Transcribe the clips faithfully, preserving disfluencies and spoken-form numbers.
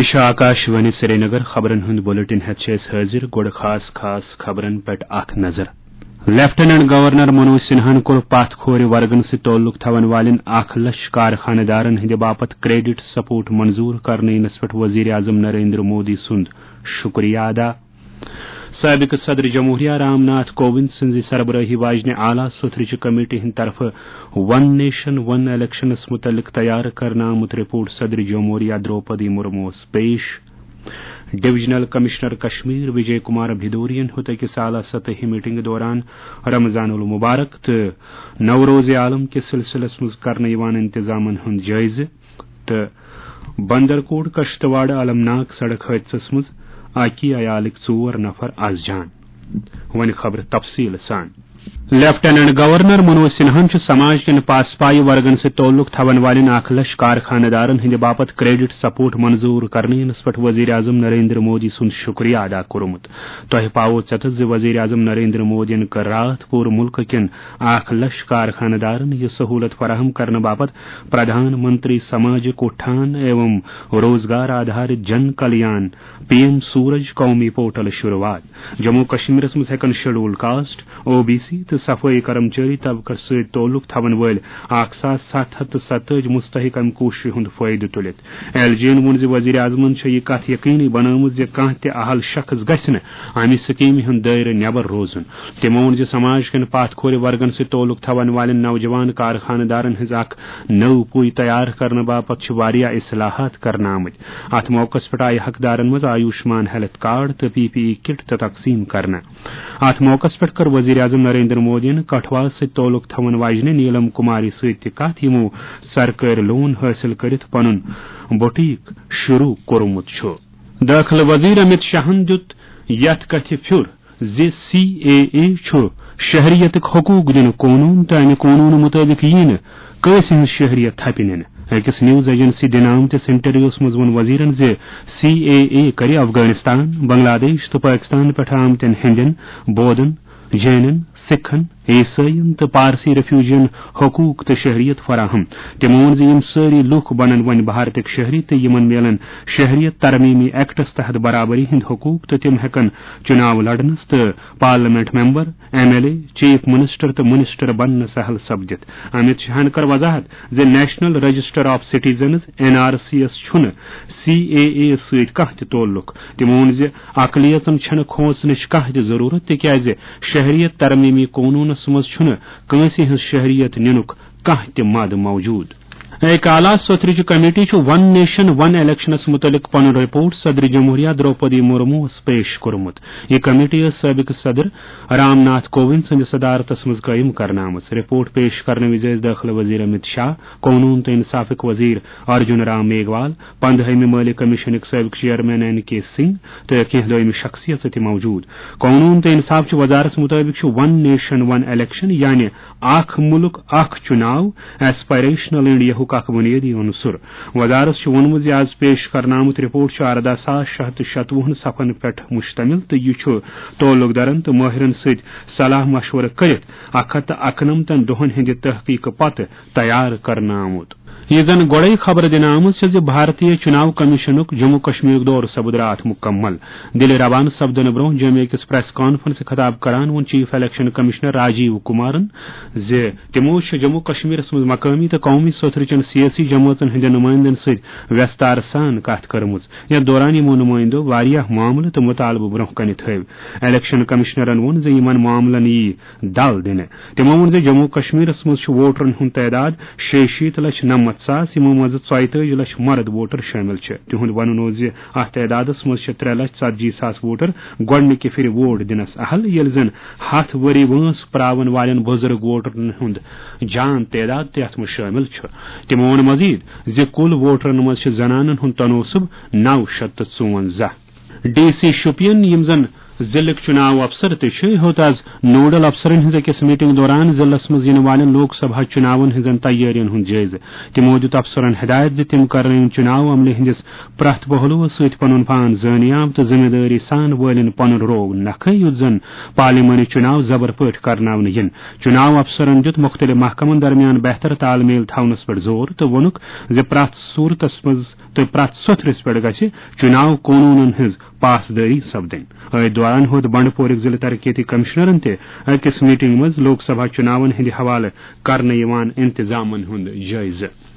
یہِ چھُ آکاش وانی سرینگر۔ خبرن ہُنٛد بلیٹن ہٮ۪تھ چھِ أسۍ حٲضِر۔ گۄڈٕ خاص خاص خبرن پٮ۪ٹھ اکھ نظر۔ لیفٹیننٹ گورنر منوج سنہاہن کوٚر پتھ کھورِ ورگن سۭتۍ تعلق تھاون والٮ۪ن اکھ لچھ کارخانہٕ دارن ہٕنٛدِ باپتھ کریڈٹ سپورٹ منظور کرنہٕ یِنس پٮ۪ٹھ وزیر اعظم نریندر مودی سُنٛد شُکریہ ادا۔ سابق صدر جمہوریہ رام ناتھ کووند سٕنٛزِ سربرٲہی واجنہِ اعلیٰ سوٚتھرٕچہِ کمیٹی ہٕنٛدِ طرفہٕ ون نیشن ون الیکشنس متعلق تیار کرنہٕ آمُت رپورٹ صدر جمہوریہ دروپدی مرموس پیش۔ ڈویژنل کمشنر کشمیر وجے کمار بھدوریَن ہیوٚت أکِس اعلیٰ سطحی میٹنگہِ دوران رمضان المبارک تہٕ نوروز عالم کِس سلسلس منٛز کرنہٕ یِوان انتظامن ہُنٛد جٲیزٕ۔ تہٕ بندرکوٹ کشتواڑ المناک سڑک حٲدثس منٛز اکی عیالٕکۍ ژور نفر از جان۔ وۄنۍ خبرٕ تفصیٖل سان۔ لیفٹیننٹ گورنر منوج سنہاہن چھُ سماج کٮ۪ن پاسپایہِ ورگن سۭتۍ تعلق تھاون والٮ۪ن اکھ لچھ کارخانہٕ دارن ہٕنٛدِ باپتھ کریڈٹ سپورٹ منظور کرنہٕ یِنس پٮ۪ٹھ وزیر اعظم نریندر مودی سُنٛد شُکریہ ادا کوٚرمُت۔ تۄہہِ پاوو ژٮ۪تس زِ وزیر اعظم نریندر مودیَن کٔر راتھ پوٗرٕ مُلکہٕ کٮ۪ن اکھ لچھ کارخانہٕ دارن یہِ سہولت فراہم کرنہٕ باپتھ پردھان منتری سماجک اتھان ایوم روزگار آدھارت جن کلیان، پی ایم سورج قومی پورٹل شروعات۔ جموں کشمیرس منٛز ہٮ۪کن schedule caste, O B C تہٕ صفٲیی کرمچٲری طبقس سۭتۍ تعلق تھاون وٲلۍ اکھ ساس ستھ ہتھ تہٕ ستٲجی مستحق امہِ کوٗششہِ ہُنٛد فٲیدٕ تُلِتھ۔ ایل جی ین ووٚن زِ وزیر اعظمن چھےٚ یہِ کتھ یقینی بنٲومٕژ زِ کانٛہہ تہِ اہل شخص گژھِ نہٕ امہِ سکیمہِ ہُنٛد دٲیرٕ نٮ۪بر روزُن۔ تٔمۍ ووٚن زِ سماج کٮ۪ن پتھ کھورِ ورگن سۭتۍ تعلق تھاون والٮ۪ن نوجوان کارخانہٕ دارن ہٕنٛز اکھ نٔو پُے تیار کرنہٕ باپتھ چھِ واریاہ اصلاحات کرنہٕ آمٕتۍ۔ اتھ موقعس پٮ۪ٹھ آیہِ حقدارن منٛز آیوشمان ہیلتھ کارڈ تہٕ پی پی ای کٹ تہِ تقسیم کرنہٕ۔ اتھ موقعس پٮ۪ٹھ کٔر وزیر اعظم نریندر مودیَن کٹھواہس سۭتۍ تعلق تھاون واجنہِ نیلم کماری سۭتۍ تہِ کتھ، یِمو سرکٲرۍ لون حٲصِل کٔرِتھ پنُن بوٹیک شروع کوٚرمُت چھُ۔ دٲخلہٕ وزیر امت شاہن دیُت یتھ کتھِ پھیُر زِ سی اے اے چھُ شہریتٕک حقوق دِنُک قونوٗن تہٕ امہِ قونوٗنہٕ مُطٲبِق یِیہِ نہٕ کٲنٛسہِ ہٕنٛز شہریت تھپہِ نِنہٕ۔ أکِس نیوز ایجنسی دِنہٕ آمتِس انٹرویوس منٛز ووٚن وزیرن زِ سی اے اے کرِ افغانستان، بنگلہ دیش تہٕ پٲکستان پٮ۪ٹھ آمتٮ۪ن ہیٚندٮ۪ن، بودن، جینن، سکھن، عیسٲئین تہٕ پارسی ریفیوجین حقوق تہٕ شہریت فراہم۔ تٔمۍ ووٚن زِ یِم سٲری لوٗکھ بنن وۄنۍ بھارتٕکۍ شہری تہٕ یِمن میلن شہریت ترمیمی ایکٹس تحت برابری ہٕنٛدۍ حقوق تہٕ تِم ہٮ۪کن چُناو لڑنس تہٕ parliament member, M L A, chief minister تہٕ منسٹر بننہٕ سہل سپدِتھ۔ امت شاہن کٔر وضاحت زِ national register of citizens, N R C یس، چھُنہٕ سی اے اے سۭتۍ کانٛہہ تہِ تعلق۔ تٔمۍ ووٚن زِ اقلیتن چھنہٕ کھوژنٕچ کانٛہہ تہِ ضروٗرت، تِکیازِ شہریت ترمیمی قونوٗنس منٛز چھُنہٕ کٲنٛسہِ ہٕنٛز شہریت نِنُک کانٛہہ تہِ مد موجود۔ اکالا سوتھرٕچ کمیٹی چھُ ون نیشن ون الیکشنس متعلق پنُن رپورٹ صدر جمہوریہ دروپدی مرموس پیش کوٚرمُت۔ یہِ کمیٹی ٲس سٲبقہٕ صدر رام ناتھ کووند سٕنٛدِ صدارتس منٛز قٲیِم کرنہٕ آمٕژ۔ رپورٹ پیش کرنہٕ وِزِ ٲسۍ دٲخلہٕ وزیر امت شاہ، قونوٗن تہٕ انصافٕکۍ وزیر ارجن رام میگھوال، پندہٲمہِ مٲلی کمیشنٕکۍ سٲبقہٕ چیئرمین این کے سنگھ تہٕ کینٛہہ دوٚیمہِ شخصیژٕ تہِ موجود۔ قونوٗن تہٕ انصاف چہِ وزارت مُطٲبِق چھُ ون نیشن ون الیکشن، یعنی اکھ مُلک اکھ چُناو، ایسپائریشنل انڈیاہُک اکھ بُنیٲدی عنصر۔ وزارت چھُ ووٚنمُت زِ از پیش کرنہٕ آمُت رپورٹ چھُ ارداہ ساس شےٚ ہتھ تہٕ شتوُہن صفن پٮ۪ٹھ مشتمل تہٕ یہِ چھُ تعلق دارن تہٕ مٲہرن سۭتۍ صلاح مشورٕ کٔرِتھ اکھ ہتھ تہٕ اکنمتن دۄہن ہٕنٛدِ تحقیقہٕ پتہٕ تیار کرنہٕ آمُت۔ یہِ زن گۄڈے خبر دِنہٕ آمٕژ چھےٚ زِ بھارتیہ چُناو کمیشنُک جموں کشمیرُک دورٕ سپُد راتھ مُکمل۔ دِلہِ روانہٕ سپدنہٕ برونٛہہ جوٚمہِ أکِس پریس کانفرنسہِ خطاب کران ووٚن chief election commissioner Rajiv Kumaran زِ تِمو چھِ جموں کشمیرس منٛز مقٲمی تہٕ قومی سوٚتھرٕ چٮ۪ن سیٲسی جمٲژن ہٕنٛدٮ۪ن نُمٲیندن سۭتۍ وٮ۪ستارٕ سان کتھ کٔرمٕژ، یتھ دوران یِمو نُمٲیندو واریاہ معاملہٕ تہٕ مُطالبہٕ برونٛہہ کنہِ تھٲوۍ۔ الیکشن کمشنرن ووٚن زِ یِمن معاملن یِیہِ دل دِنہٕ۔ تِمو ووٚن زِ جموں کشمیرس منٛز چھُ ووٹرن ہُنٛد تعداد شیٚیہِ شیٖتھ لچھ نَمَتھ ساس، یِمو منٛزٕ ژۄیتٲجی لچھ مرد ووٹر شٲمِل چھِ۔ تِہُنٛد ونُن اوس زِ اتھ تعدادس منٛز چھِ ترٛےٚ لچھ ژتجی ساس ووٹر گۄڈٕنِکہِ پھِرِ ووٹ دِنس اہل، ییٚلہِ زن ہتھ ؤری وٲنٛس پراون والٮ۪ن بُزرگ ووٹرن ہُنٛد جان تعداد تہِ اتھ منٛز شٲمِل چھُ۔ تِمو ووٚن مزید زِ کُل ووٹرن منٛز چھِ زنانن ہُنٛد تناسب نو شیٚتھ تہٕ ژُوَنزاہ۔ ڈی سی شُپین، یِم زن ضلعٕکۍ چُناو افسر تہِ چھِ ہیوٚت از نوڈل افسرن ہٕنٛز أکِس میٹنگ دوران ضلعس منٛز یِنہٕ والٮ۪ن لوک سبھا چُناون ہٕنٛزن تیٲرین ہُنٛد جٲیزٕ۔ تِمو دیُت افسرن ہدایت زِ تِم کرنٲوِن چُناو عملہِ ہٕنٛدِس پرٛٮ۪تھ پہلوس سۭتۍ پنُن پان زٲنیاب تہٕ ذمہٕ دٲری سان وٲلِن پنُن رول نکھٕ، یُتھ زن پارلیمانی چُناو زبر پٲٹھۍ کرناونہٕ یِن۔ چُناو افسرن دیُت مُختٔلِف محکمن درمیان بہتر تال میل تھاونس پٮ۪ٹھ زور تہٕ ووٚنُکھ زِ پرٛٮ۪تھ صوٗرتس منٛز تہٕ پرٛٮ۪تھ سوٚتھرِس پٮ۪ٹھ گژھِ چُناو قونوٗنن ہٕنٛز پاسدٲری سپدٕنۍ۔ أتھۍ دوران ہیوٚت بنڈپورٕکۍ ضلعہٕ ترقیتی کمشنرن تہِ أکِس میٹنگ منٛز لوک سبھا چُناون ہٕنٛدِ حوالہٕ کرنہٕ یِوان انتظامن ہُنٛد جٲیزٕ۔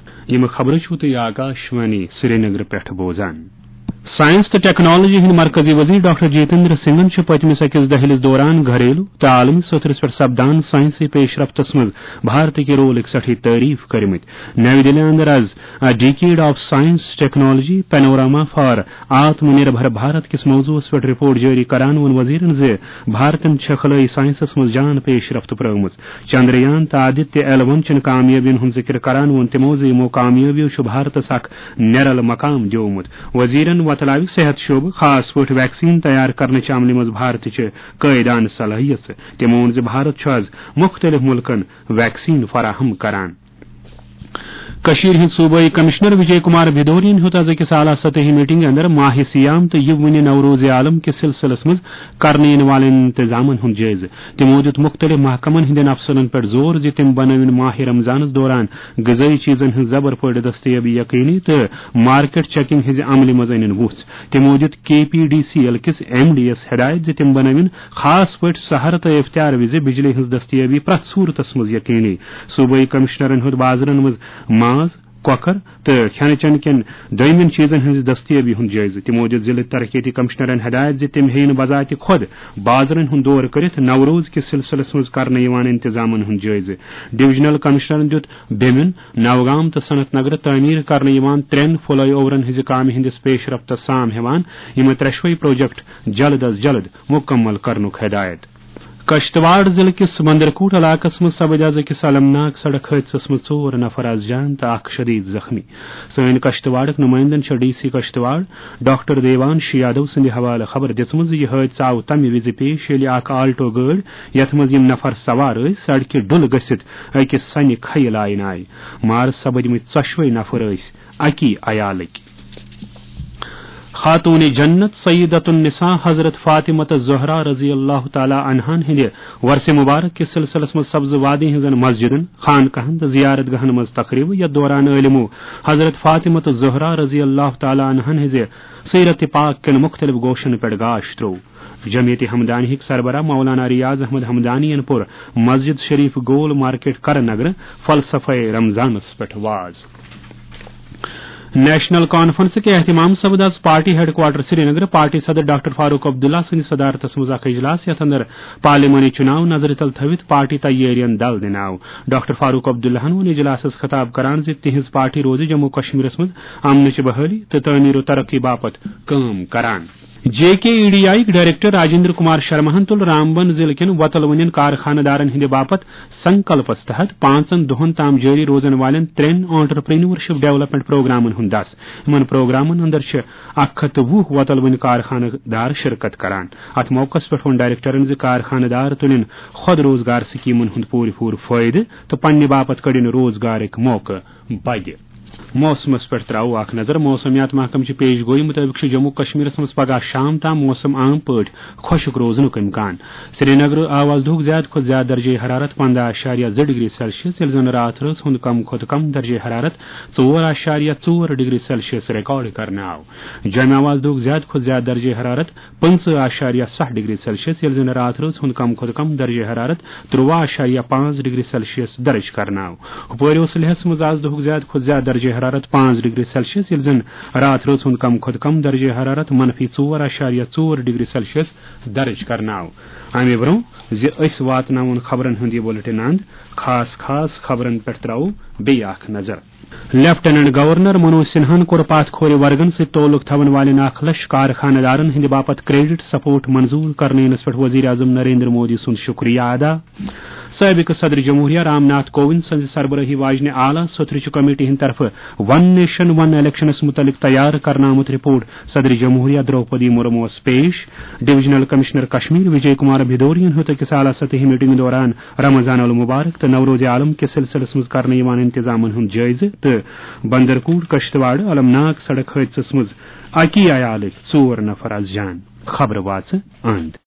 یِم خبرٕ چھِو تُہۍ آکاشوانی سرینگرٕ پٮ۪ٹھ بوزان۔ ساینس تہٕ ٹیکنالوجی ہٕنٛدۍ مرکزی وزیر ڈاکٹر جتیندر سنگھن چھِ پٔتمِس أکِس دٔہلِس دوران گھریلو تہٕ عالمی سطحس پٮ۪ٹھ سپدان ساینسی پیش رفتس منٛز بھارتٕکہِ رولٕکۍ سٮ۪ٹھٕے تعریف کٔرمٕتۍ۔ نَوِ دِلہِ اندر از A Decade of Science Technology: Panorama for Atma Nirbhar Bharat کِس موضوعس پٮ۪ٹھ رپورٹ جٲری کران ووٚن وزیرن زِ بھارتن چھےٚ خلٲیی ساینسس منٛز جان پیش رفت پرٲومٕژ۔ چندریان تہٕ آدتیہ ایل ون چٮ۪ن کامیٲبین ہُنٛد ذِکر کران ووٚن تِمو زِ یِمو کامیٲبیو چھُ بھارتس اکھ نیرل مقام دیومُت۔ وزیرن وۄتلاوِ صحت شعبہٕ، خاص پٲٹھۍ ویکسین تیار کرنہٕ چہِ عملہِ منٛز بھارتٕچہِ قٲیدانہٕ صلٲحیژٕ۔ تِمو ووٚن زِ بھارت چھُ از مُختٔلِف مُلکن ویکسین فراہم کران۔ کٔشیٖرِ ہٕنٛدۍ صوبٲئی کمشنر وجے کمار بھدوریَن ہیوٚت از أکِس اعلیٰ سطحی میٹنگہِ اندر ماہِ صیام تہٕ یہِ وُنہِ نوروز عالم کِس سلسلس منٛز کرنہٕ یِنہٕ والٮ۪ن انتظامن ہُنٛد جٲیزٕ۔ تِمو دیُت مُختٔلِف محکمن ہٕنٛدٮ۪ن افسرن پٮ۪ٹھ زور زِ تِم بنٲوِن ماہِ رمضانس دوران غذٲیی چیزن ہٕنٛز زبر پٲٹھۍ دستیٲبی یقینی تہٕ مارکیٹ چیکنگ ہٕنٛزِ عملہِ منٛز أنِن وُژھ۔ تِمو دیُت کے پی ڈی سی ایل کِس ایم ڈی یَس ہدایت زِ تِم بنٲوِن خاص پٲٹھۍ سحر تہٕ افطار وِزِ بجلی ہٕنٛز دستیٲبی پرٛٮ۪تھ صوٗرتس منٛز یقینی۔ صوبٲئی کمشنرن ہیوٚت بازرن منٛز ماز، کۄکر تہٕ کھٮ۪نہٕ چٮ۪نہٕ کٮ۪ن دوٚیمٮ۪ن چیزن ہٕنٛز دستیٲبی ہُنٛد جٲیزٕ۔ تِمو دِژ ضلعہٕ ترقیتی کمشنرن ہدایت زِ تِم ہیٚیِن بذات خۄد بازرن ہُنٛد دورٕ کٔرِتھ نوروز کِس سلسلس منٛز کرنہٕ یِوان انتظامن ہُنٛد جٲیزٕ۔ ڈویژنل کمشنرن دیُت بیمِن، نوگام تہٕ صنعت نگرٕ تعمیٖر کرنہٕ یِوان ترٛٮ۪ن فلائی اوورن ہٕنٛزِ کامہِ ہٕنٛدِس پیش رفتس سام ہٮ۪وان یِم ترٛٮ۪شوَے پروجیکٹ جلد از جلد مُکمل کرنُک ہدایت۔ کشتواڑ ضلعہٕ کِس مندرکوٹ علاقس منٛز سپٕدۍ از أکِس المناک سڑک حٲدثس منٛز ژور نفر از جان تہٕ اکھ شدید زخمی۔ سٲنۍ کشتواڑٕکۍ نُمٲیندن چھےٚ D C Kishtwar doctor Devansh Yadav سٕنٛدِ حوالہٕ خبر دِژمٕژ زِ یہِ حٲدثہٕ آو تمہِ وِزِ پیش ییٚلہِ اکھ آلٹو گٲڑۍ، یتھ منٛز یِم نفر سوار ٲسۍ، سڑکہِ ڈُلہٕ گٔژھِتھ أکِس سنہِ کھیہِ لاینہٕ آیہِ۔ مارٕ سپٕدمٕتۍ ژۄشوے نفر ٲسۍ اکی عیالٕکۍ۔ خاتون جنت سیدۃ النساء حضرت فاطمہ الزہرا رضی اللہ تعالیٰ عنہن ہٕنٛدِ ورث مبارک کِس سلسلس منٛز سبز وادی ہٕنٛزن مسجدن، خانقاہن تہٕ زیارت گاہن منٛز تقریبہٕ، یتھ دوران عٲلمو حضرت فاطمہ الزہرا رضی اللہ تعالیٰ عنہن ہٕنٛزِ سیرت پاک کٮ۪ن مُختٔلِف گوشن پٮ۪ٹھ گاش تروو۔ جمعیت ہمدانیہٕکۍ سربراہ مولانا ریاض احمد ہمدانین پوٚر مسجد شریف گول مارکیٹ کرن نگرٕ فلسفہ رمضانس پٮ۪ٹھ واز۔ نیشنل کانفرنس کہِ اہتمام سپد از party headquarter Srinagar party صدر ڈاکٹر فاروق عبداللہ سٕنٛدِ صدارتس منٛز اکھ اجلاس، یتھ اندر پارلیمانی چُناو نظرِ تل تھٲوِتھ پارٹی تیٲرین دل دِنہٕ آو۔ ڈاکٹر فاروق عبداللہن ووٚن اجلاسس خطاب کران زِ تِہنٛز پارٹی روزِ جموں کشمیرس منٛز امنٕچ بحٲلی تہٕ تعمیر و ترقی باپتھ کٲم کران۔ J K E D I یٕکۍ ڈائریکٹر راجندر کمار شرماہن تُل رامبن ضلعہٕ کٮ۪ن وۄتلوٕنٮ۪ن کارخانہٕ دارن ہٕنٛدِ باپتھ سنکلپس تحت پانٛژن دۄہن تام جٲری روزن والٮ۪ن ترٛٮ۪ن انٹرپرینورشپ ڈیولپمنٹ پروگرامن ہُنٛد دس۔ یِمن پروگرامن اندر چھِ اکھ ہتھ تہٕ وُہ وۄتلوٕنۍ کارخانہٕ دار شرکت کران۔ اتھ موقعس پٮ۪ٹھ ووٚن ڈائریکٹرن زِ کارخانہٕ دار تُلن خود روزگار سکیمن ہُنٛد پوٗرٕ پوٗرٕ فٲیدٕ تہٕ پننہِ باپتھ کڑن روزگارٕکۍ موقعہٕ بدِ۔ موسمس پٮ۪ٹھ تراوو اکھ نظر۔ موسمیات محکمہٕ چہِ پیش گویی مُطٲبِق چھُ جموں کشمیرس منٛز پگہہ شام تام موسم عام پٲٹھۍ خۄشک روزنُک امکان۔ سرینگرٕ آو از دُہُک زیادٕ کھۄتہٕ زیادٕ درجہ حرارت پنٛداہ اعشاریہ زٕ ڈگری سیلسیس، ییٚلہِ زن راتھ رٲژ ہُنٛد کم کھۄتہٕ کم درجہ حرارت ژور اعشاریہ ژور ڈگری سیلسیس ریکارڈ کرنہٕ آو۔ جوٚمہِ آو از دُہُک زیادٕ کھۄتہٕ زیادٕ درجہ حرارت پٕنٛژٕہ اعشاریہ ستھ ڈگری سیلسیس، ییٚلہِ زن راتھ رٲژ ہُنٛد کم کھۄتہٕ کم درجہ حرارت ترٛواہ اعشاریہ پانٛژھ ڈگری سیلسیس درج کرنہٕ آو۔ ہُپٲرۍ اوس لیہس منٛز از دُہُک زیادٕ کھۄتہٕ زیادٕ درجہ حرارت پانٛژھ ڈگری سیلسیس، ییٚلہِ زن راتھ رٲژ ہُنٛد کم کھۄتہٕ کم درجہ حرارت منفی ژور اعشاریہ ژور ڈگری سیلسیس درج کرنہٕ آو۔ امہِ برٛونٛہہ زِ أسۍ واتناوون خبرن ہُنٛد یہِ بُلٹن اند، خاص خاص خبرن پٮ۪ٹھ ترٛاوو بیٚیہِ اکھ نظر۔ لیفٹیننٹ گورنر منوج سنہاہن کوٚر پاتھ کھورِ ورگن سۭتۍ تعلق تھاون والٮ۪ن اکھ لچھ کارخانہٕ دارن ہٕنٛدِ باپتھ کریڈٹ سپورٹ منظور کرنہٕ ینس پٮ۪ٹھ وزیر اعظم نریندر مودی سُنٛد شکریہ ادا۔ سابق صدر جمہوریہ رام ناتھ کووند سٕنٛزِ سربرٲہی واجنہِ اعلیٰ سوٚتھرٕچہِ کمیٹی ہٕنٛدِ طرفہٕ ون نیشن ون الیکشنس متعلق تیار کرنہٕ آمُت رپورٹ صدر جمہوریہ درٛوپدی مرموس پیش۔ ڈویژنل کمشنر کشمیر وجے کمار بھدوریَن ہیوٚت أکِس اعلیٰ سطحی میٹنگہِ دوران رمضان المبارک تہٕ نوروز عالم کِس سلسلس منٛز کرنہٕ یِوان انتظامن ہُنٛد جٲیزٕ تہٕ بندرکوٹ کشتواڑ المناک سڑک حٲدثس منٛز اکی عیالٕکۍ ژور نفر از جان۔ خبرٕ واژٕ أنٛدۍ۔